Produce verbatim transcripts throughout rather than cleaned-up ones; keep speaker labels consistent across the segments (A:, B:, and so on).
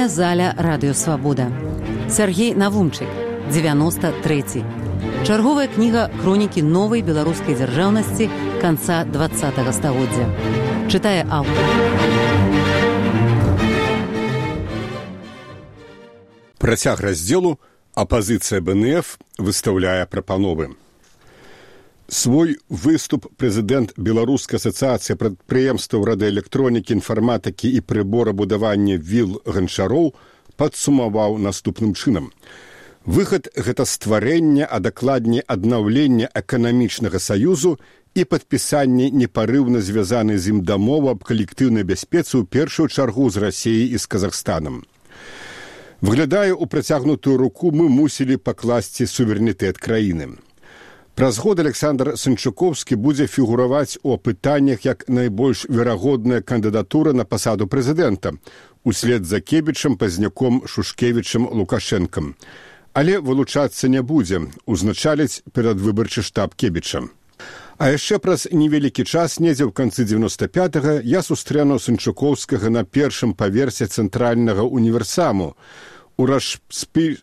A: Чытальная заля Радыё Свабода. Сергей Навумчык, девяносто третий. Чарговая кніга хронікі новай беларускай дзяржаўнасці канца двадцатага стагоддзя. Чытае аўтар.
B: Працяг раздзелу «Апазіцыя бэ эн эф» выстаўляе прапановы. Свой выступ прэзідэнт Беларускай асацыяцыі прадпрыемстваў радыёэлектронікі, інфарматыкі і прыборабудавання Віл Ганчароў падсумаваў наступным чынам. Выхад – гэта стварэнне, а дакладней аднаўленне эканамічнага саюзу і падпісанне непарыўна звязанай з ім дамовы аб калектыўнай бяспецы ў першую чаргу з Расіяй і з Казахстанам. Выглядае, у працягнутую руку мы мусілі пакласці суверэнітэт краіны. Праз год Александр Санчукоўскі будзе фігураваць у апытаннях як найбольш верагодная кандыдатура на пасаду прэзідэнта, услед за Кебічам, Пазняком, Шушкевічам, Лукашэнкам. Але вылучацца не будзе, узначаліць перадвыбарчы штаб Кебіча. А яшчэ праз невялікі час, недзе ў канцы дзевяноста пятага, я сустрэну Санчукоўскага на першым паверсе цэнтральнага універсаму у распі...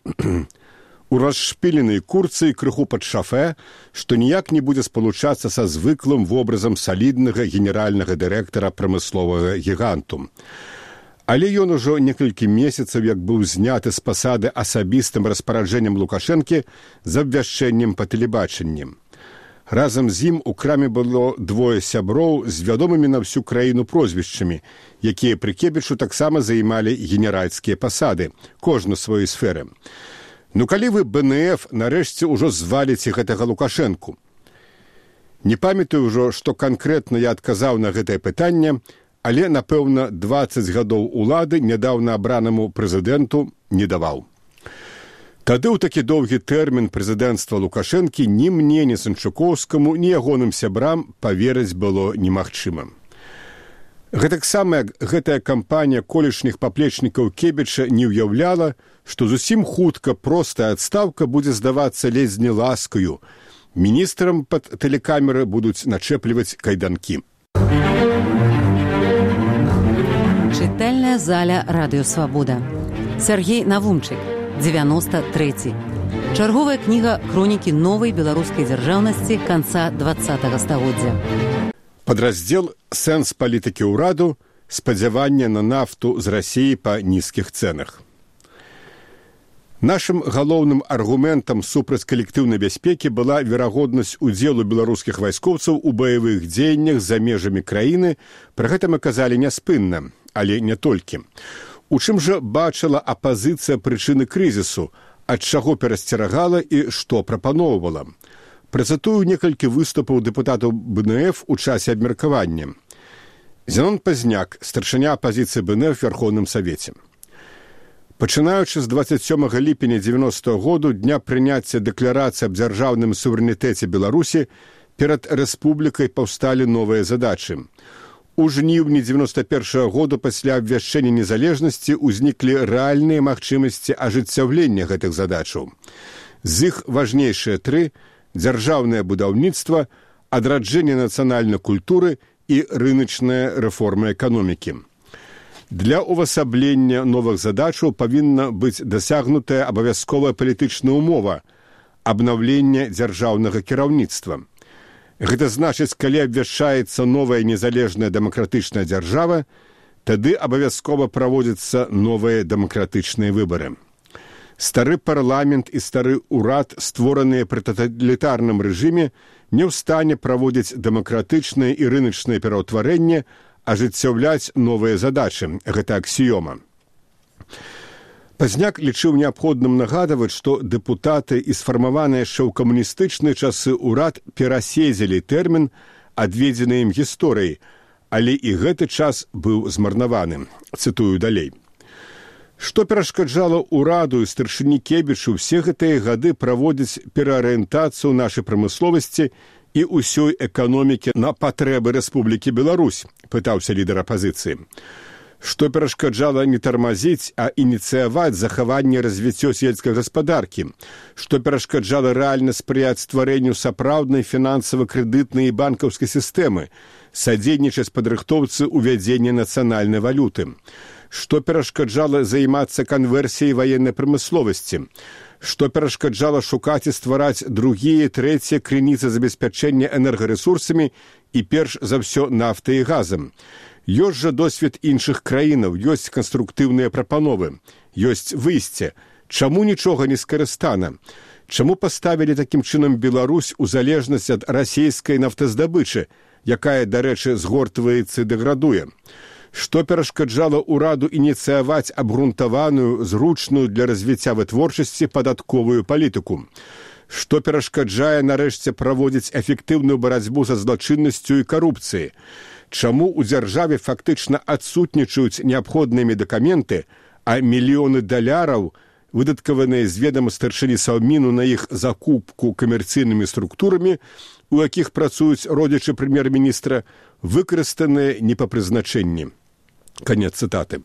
B: у расшпіленай курцы і крыху пад шафе, што ніяк не будзе спалучацца са звыклым вобразам саліднага генеральнага дырэктара прамысловага гіганту. Але ён ужо некалькі месяцаў як быў зняты з пасады асабістым распараджэннем Лукашэнкі з абвяшчэннем па тэлебачанні. Разам з ім у краме было двое сяброў з вядомымі на всю краіну прозвішчамі, якія пры Кебічу таксама займалі генеральскія пасады, кожны сваёй сферы. Ну калі вы бэ эн эф нарэшце ўжо зваліце гэтага Лукашэнку? Не памятаю ўжо, што канкрэтна я адказаў на гэтае пытанне, але, напэўна, дваццаць гадоў улады нядаўна абранаму прэзідэнту не даваў. Тады ў такі доўгі тэрмін прэзідэнцтва Лукашэнкі ні мне, ні Санчукоўскаму, ні ягоным сябрам паверыць было немагчыма. Гэтаксама гэтая кампанія колішніх паплечнікаў Кебіча не ўяўляла, што зусім хутка простая адстаўка будзе здавацца ледзь не ласкаю. Міністрам пад тэлекамеры будуць начэпліваць кайданкі.
A: Чытальная заля Радыё Свабода. Сергей Навумчык, девяносто третий. Чарговая кніга хронікі новай беларускай дзяржаўнасці канца двадцатага стагоддзя.
B: Падраздзел «Сэнс палітыкі ўраду. Спадзяванне на нафту з Расіі па нізкіх цэнах». Нашым галоўным аргументам супраць калектыўнай бяспекі была верагоднасць удзелу беларускіх вайскоўцаў у баявых дзеяннях за межамі краіны, пра гэта мы казалі няспынна, але не толькі. У чым жа бачыла апазіцыя прычыны крызісу, ад чаго перасцерагала і што прапаноўвала? Працатую некалькі выступаў дэпутатаў бэ эн эф у часе абмеркавання. Зенон Пазняк, старшыня апазіцыі бэ эн эф у Верховным Савеце. Пачынаючы з дваццаць сёмага ліпеня дзевяностага году, дня прыняцця дэкларацыі аб дзяржаўным суверэнітэце Беларусі, перад рэспублікай паўсталі новыя задачы. У жніўні дзевяноста першага году пасля абвяшчэння незалежнасці ўзніклі рэальныя магчымасці ажыццяўлення гэтых задачаў. З іх важнейшыя тры – дзяржаўнае будаўніцтва, адраджэнне нацыянальнай культуры і рыначная рэформа эканомікі. Для ўвасаблення новых задачаў павінна быць дасягнутая абавязковая палітычная ўмова – абнаўленне дзяржаўнага кіраўніцтва. Гэта значыць, калі абвяшчаецца новая незалежная дэмакратычная дзяржава, тады абавязкова праводзяцца новыя дэмакратычныя выбары. Стары парламент і стары ўрад, створаныя пры таталітарным рэжыме, не ў стане праводзіць дэмакратычнае і рыначнае пераўтварэнне, ажыццяўляць новыя задачы. Гэта аксіёма. Пазняк лічыў неабходным нагадаваць, што дэпутаты і сфармаваныя яшчэ ў камуністычныя часы ўрад пераседзелі тэрмін, адведзены ім гісторыяй, але і гэты час быў змарнаваны. Цытую далей. Што перашкаджала ўраду і старшыні Кебічу ўсе гэтыя гады праводзіць пераарыентацыю нашай прамысловасці і ўсёй эканомікі на патрэбы Рэспублікі Беларусь, пытаўся лідар апазіцыі. Што перашкаджала не тармазіць, а ініцыяваць захаванне і развіццё сельскай гаспадаркі, што перашкаджала рэальна спрыяць стварэнню сапраўднай фінансава-крэдытнай і банкаўскай сістэмы, садзейнічаць падрыхтоўцы ўвядзення нацыянальнай валюты, Што перашкаджала займацца канверсіяй ваеннай прамысловасці? Што перашкаджала шукаць і ствараць другія, трэція крыніцы забеспячэння энергарэсурсамі і перш за ўсё нафтай і газам? Ёсць жа досвед іншых краінаў, ёсць канструктыўныя прапановы, ёсць выйсце. Чаму нічога не скарыстана? Чаму паставілі такім чынам Беларусь у залежнасць ад расійскай нафтаздабычы, якая, дарэчы, згортваецца і дэградуе? Што перашкаджала ўраду ініцыяваць абгрунтаваную, зручную для развіцця вытворчасці падатковую палітыку? Што перашкаджае нарэшце праводзіць эфектыўную барацьбу са злачыннасцю і карупцыяй? Чаму ў дзяржаве фактычна адсутнічаюць неабходныя медыкаменты, а мільёны даляраў, выдаткаваныя з ведама старшыні Саўміну на іх закупку камерцыйнымі структурамі, у якіх працуюць родзічы прэм'ер-міністра, выкарыстаныя не па прызначэнні. Канец цытаты.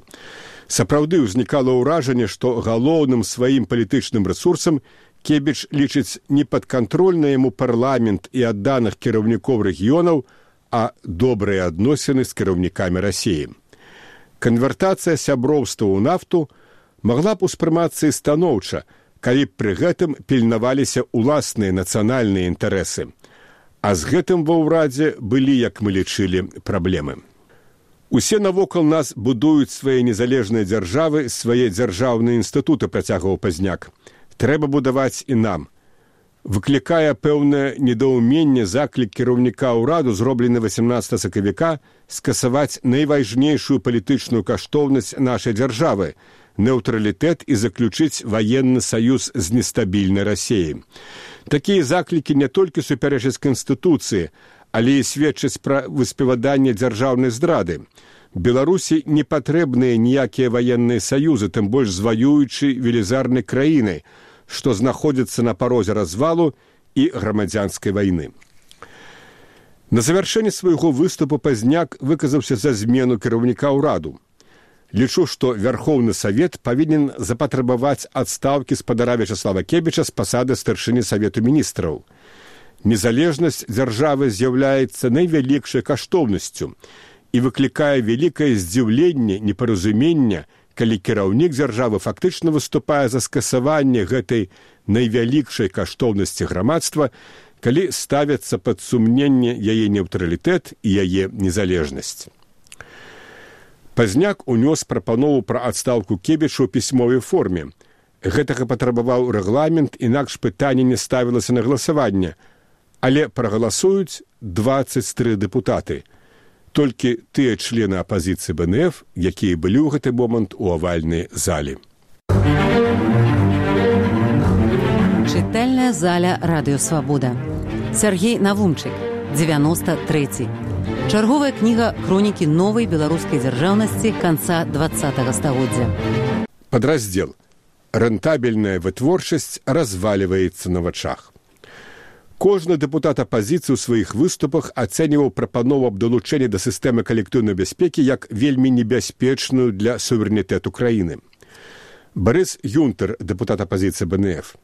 B: Сапраўды ўзнікала ўражанне, што галоўным сваім палітычным рэсурсам Кебіч лічыць не падкантрольны яму парламент і адданых кіраўнікоў рэгіёнаў, а добрыя адносіны з кіраўнікамі Расіі. Канвертацыя сяброўства ў нафту магла б успрымацца і станоўча, калі б пры гэтым пільнаваліся ўласныя нацыянальныя інтарэсы. А з гэтым ва ўрадзе былі, як мы лічылі, праблемы. Усе навокал нас будуюць свае незалежныя дзяржавы, свае дзяржаўныя інстытуты, працягваў Пазняк. Трэба будаваць і нам. Выклікае пэўнае недаўменне заклік кіраўніка ўраду, зроблены васямнаццатага сакавіка, скасаваць найважнейшую палітычную каштоўнасць нашай дзяржавы – нейтралітэт і заключыць ваенны саюз з нестабільнай Расіяй. Такія заклікі не толькі супярэчаць Канстытуцыі, але і сведчаць пра выспеваданне дзяржаўнай здрады. Беларусі не патрэбныя ніякія ваенныя саюзы, тым больш з ваюючай велізарнай краінай, што знаходзіцца на парозе развалу і грамадзянскай вайны. На завяршэнне свайго выступу Пазняк выказаўся за змену кіраўніка ўраду. Лічу, што Вярхоўны Савет павінен запатрабаваць адстаўкі спадара Вячаслава Кебіча з пасады старшыні Савету міністраў. Незалежнасць дзяржавы з'яўляецца найвялікшай каштоўнасцю і выклікае вялікае здзіўленне, непаразуменне, калі кіраўнік дзяржавы фактычна выступае за скасаванне гэтай найвялікшай каштоўнасці грамадства, калі ставяцца пад сумненне яе нейтралітэт і яе незалежнасць. Пазняк унёс прапанову пра адстаўку Кебіча ў пісьмовай форме. Гэтага патрабаваў рэгламент, інакш пытанне не ставілася на галасаванне, але прагаласуюць дваццаць тры дэпутаты. Толькі тыя члены апазіцыі Бэ Эн Эф, якія былі ў гэты момант у авальнай зале.
A: Чытальная заля Радыё Свабода. Сяргей Навумчык, дзевяноста трэці. Чарговая кніга хронікі новай беларускай дзяржаўнасці канца дваццатага стагоддзя.
B: Падраздзел. Рэнтабельная вытворчасць разваліваецца на вачах. Кожны дэпутат апазіцыі ў сваіх выступах ацэньваў прапанову аб далучэнні да сістэмы калектыўнай бяспекі як вельмі небяспечную для суверэнітэту краіны. Барыс Юнтер, дэпутат апазіцыі Бэ Эн Эф.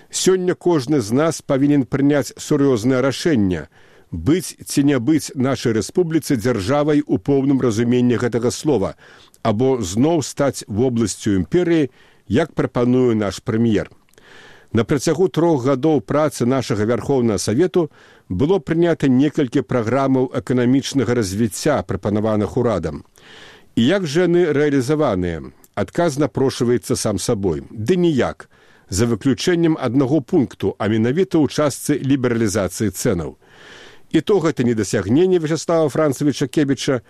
B: Сёння кожны з нас павінен прыняць сур'ёзнае рашэнне быць ці не быць нашай рэспубліцы дзяржавай у поўным разуменні гэтага слова, або зноў стаць вобласцю імперыі, як прапануе наш прэм'ер. На працягу трох гадоў працы нашага Вярхоўнага Савету было прынята некалькі праграмаў эканамічнага развіцця, прапанаваных урадам. І як жа яны рэалізаваныя? Адказ напрошваецца сам сабой. Ды ніяк, за выключэннем аднаго пункту, а менавіта ў частцы лібералізацыі цэнаў. І то гэта не дасягненне Вячаслава Францавіча Кебіча,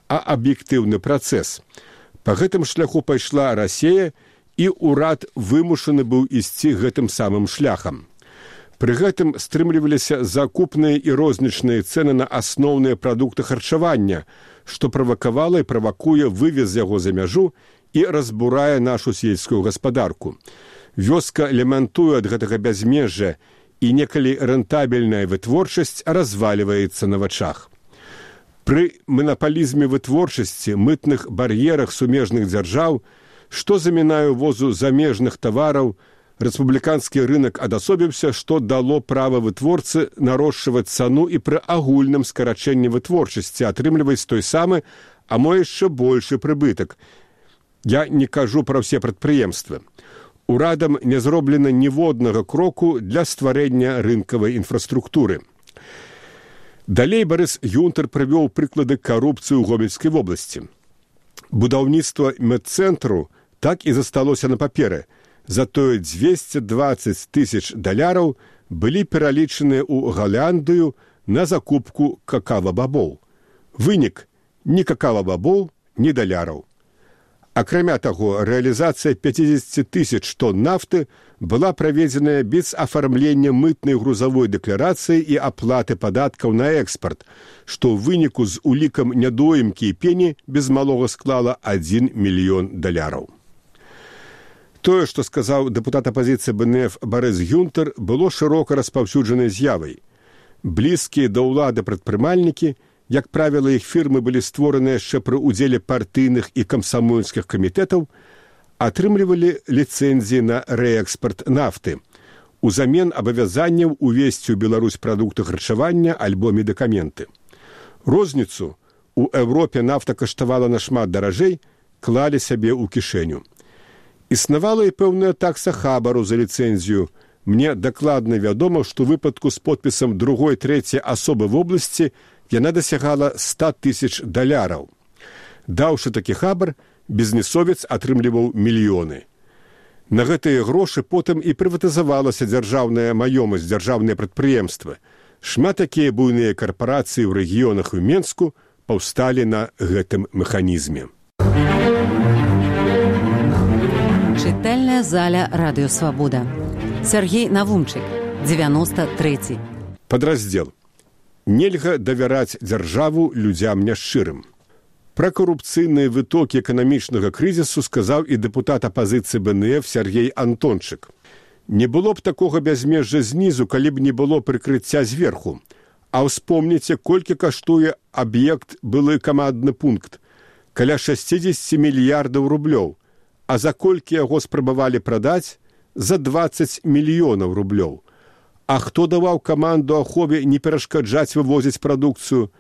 B: а аб'ектыўны працэс. Па гэтым шляху пайшла Расія, і ўрад вымушаны быў ісці гэтым самым шляхам. Пры гэтым стрымліваліся закупныя і рознічныя цэны на асноўныя прадукты харчавання, што правакавала і правакуе вывез яго за мяжу і разбурае нашу сельскую гаспадарку. Вёска лямантуе ад гэтага бязмежжа, і некалі рэнтабельная вытворчасць разваліваецца на вачах. Пры манапалізме вытворчасці, мытных бар'ерах сумежных дзяржаў, што замінае ўвозу замежных тавараў, рэспубліканскі рынак адасобіўся, што дало права вытворцы нарошчваць цану і пры агульным скарачэнні вытворчасці, атрымліваць той самы, а мо яшчэ большы прыбытак. Я не кажу пра ўсе прадпрыемствы. Урадам не зроблена ніводнага кроку для стварэння рынкавай інфраструктуры. Далей Барыс Гюнтер прывёў прыклады карупцыі ў Гомельскай вобласці. Будаўніцтва медцэнтру так і засталося на паперы. Затое дзвесце дваццаць тысяч даляраў былі пералічаныя ў Галандыю на закупку какава-бабоў. Вынік – ні какава-бабоў, ні даляраў. Акрамя таго, рэалізацыя пяцьдзесят тысяч тонн нафты была праведзеная без афармлення мытнай грузавой дэкларацыі і аплаты падаткаў на экспарт, што ў выніку з улікам нядоімкі і пені без малога склала адзін мільён даляраў. Тое, што сказаў дэпутат апазіцыі БНФ Барыс Гюнтер, было шырока распаўсюджанай з'явай. Блізкія да ўлады прадпрымальнікі, як правіла, іх фірмы былі створаны яшчэ пры ўдзеле партыйных і камсамольскіх камітэтаў, атрымлівалі ліцэнзіі на рээкспарт нафты, узамен абавязанняў увесці ў Беларусь прадукты харчавання альбо медыкаменты. Розніцу у Еўропе нафта каштавала нашмат даражэй, клалі сабе ў кішэню. Існавала і пэўная такса хабару за ліцэнзію. Мне дакладна вядома, што ў выпадку з подпісам другой, трэцяй асобы в обласці яна дасягала ста тысяч даляраў. Даўшы такі хабар, бізнесовец атрымліваў мільёны. На гэтыя грошы потым і прыватызавалася дзяржаўная маёмасць, дзяржаўныя прадпрыемствы. Шмат такія буйныя карпорацыі ў рэгіёнах і Менску паўсталі на гэтым механізме.
A: Чытальная заля Радыё Свабода. Сергей Навумчык, дзевяносто трэці.
B: Падраздзел. Нельга давяраць дзяржаву людзям няшчырым. Пра карупцыйныя вытокі эканамічнага крызісу сказаў і дэпутат апазіцыі БНФ Сергей Антончык. Не было б такога бязмежжа знізу, калі б не было прыкрыцця зверху. А ўспомніце, колькі каштуе аб'ект былы камандны пункт. Каля шэсцьдзесят мільярдаў рублёў. А за колькі яго спрабавалі прадаць? За дваццаць мільёнаў рублёў. А хто даваў каманду ахове не перашкаджаць вывозіць прадукцыю?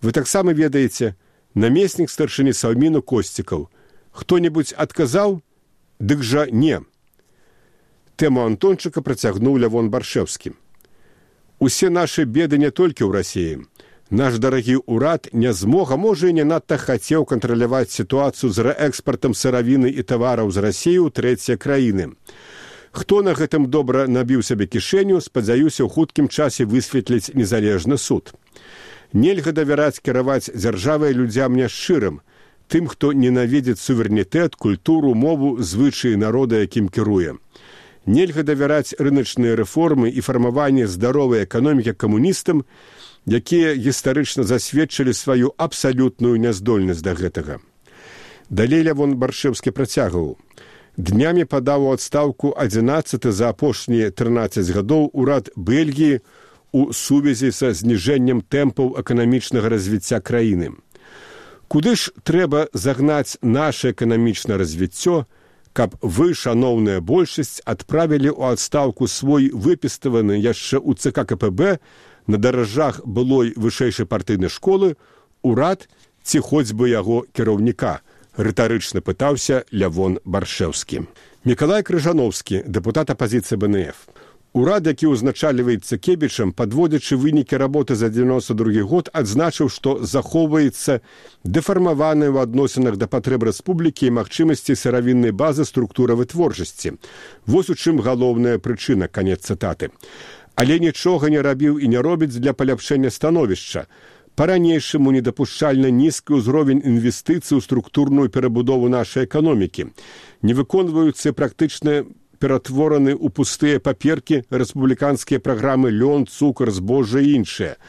B: Вы таксама ведаеце, намеснік старшыні Саўміну Косцікаў. Хто-небудзь адказаў? Дык жа не. Тэму Антончыка працягнуў Лявон Баршэўскі. Усе нашы беды не толькі ў Расіі. Наш дарагі ўрад не змог, а можа і не надта хацеў кантраляваць сітуацыю з рээкспартам сыравіны і тавараў з Расіі ў трэція краіны. Хто на гэтым добра набіў сабе кішэню, спадзяюся, ў хуткім часе высветліць незалежны суд. Нельга давяраць кіраваць дзяржавай людзям няшчырым, тым, хто ненавідзіць суверэнітэт, культуру, мову, звычаі народа, якім кіруе. Нельга давяраць рыначныя рэформы і фармаванне здаровай эканомікі камуністам, якія гістарычна засведчылі сваю абсалютную няздольнасць да гэтага. Далей Лявон Баршэўскі працягваў. Днямі падаў у адстаўку адзінаццаты за апошнія трынаццаць гадоў урад Бельгіі у сувязі са зніжэннем тэмпаў эканамічнага развіцця краіны. Куды ж трэба загнаць наша эканамічнае развіццё, каб вы, шаноўная большасць, адправілі ў адстаўку свой выпіставаны яшчэ ў ЦК КПБ на даражах былой вышэйшай партыйнай школы урад ці хоць бы яго кіраўніка? Рытарычна пытаўся Лявон Баршэўскі. Мікалай Крыжановскі, дэпутат апазіцыі БНФ. Урад, які ўзначальваецца Кебічам, падводзячы вынікі работы за дзевяносто другі год, адзначыў, што захоўваецца дэфармаваная ў адносінах да патрэб рэспублікі і магчымасці сыравіннай базы структура вытворчасці. Вось у чым галоўная прычына, канец цытаты. Але нічога не рабіў і не робіць для паляпшэння становішча. Па-ранейшаму недапушчальна нізкі ўзровень інвестыцый у структурную перабудову нашай эканомікі. Не выконваюцца практычна ператвораны ў пустыя паперкі рэспубліканскія праграмы лён, цукар, збожжа і іншыя.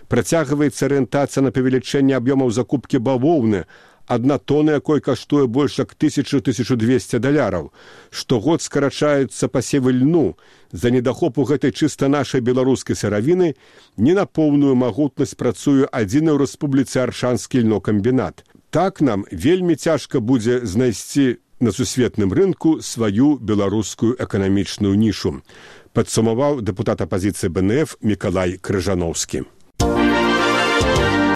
B: Працягваецца арыентацыя на павелічэнне аб'ёмаў закупкі бавоўны, адна тона якой каштуе больш як тысячу - тысячу двесце даляраў. Штогод скарачаюцца пасевы льну. За недахопу гэтай чыста нашай беларускай сыравіны не на поўную магутнасць працуе адзіны ў рэспубліцы Аршанскі льнокамбінат. Так нам вельмі цяжка будзе знайсці на сусветным рынку сваю беларускую эканамічную нішу, падсумаваў дэпутат апазіцыі БНФ Мікалай Крыжановскі.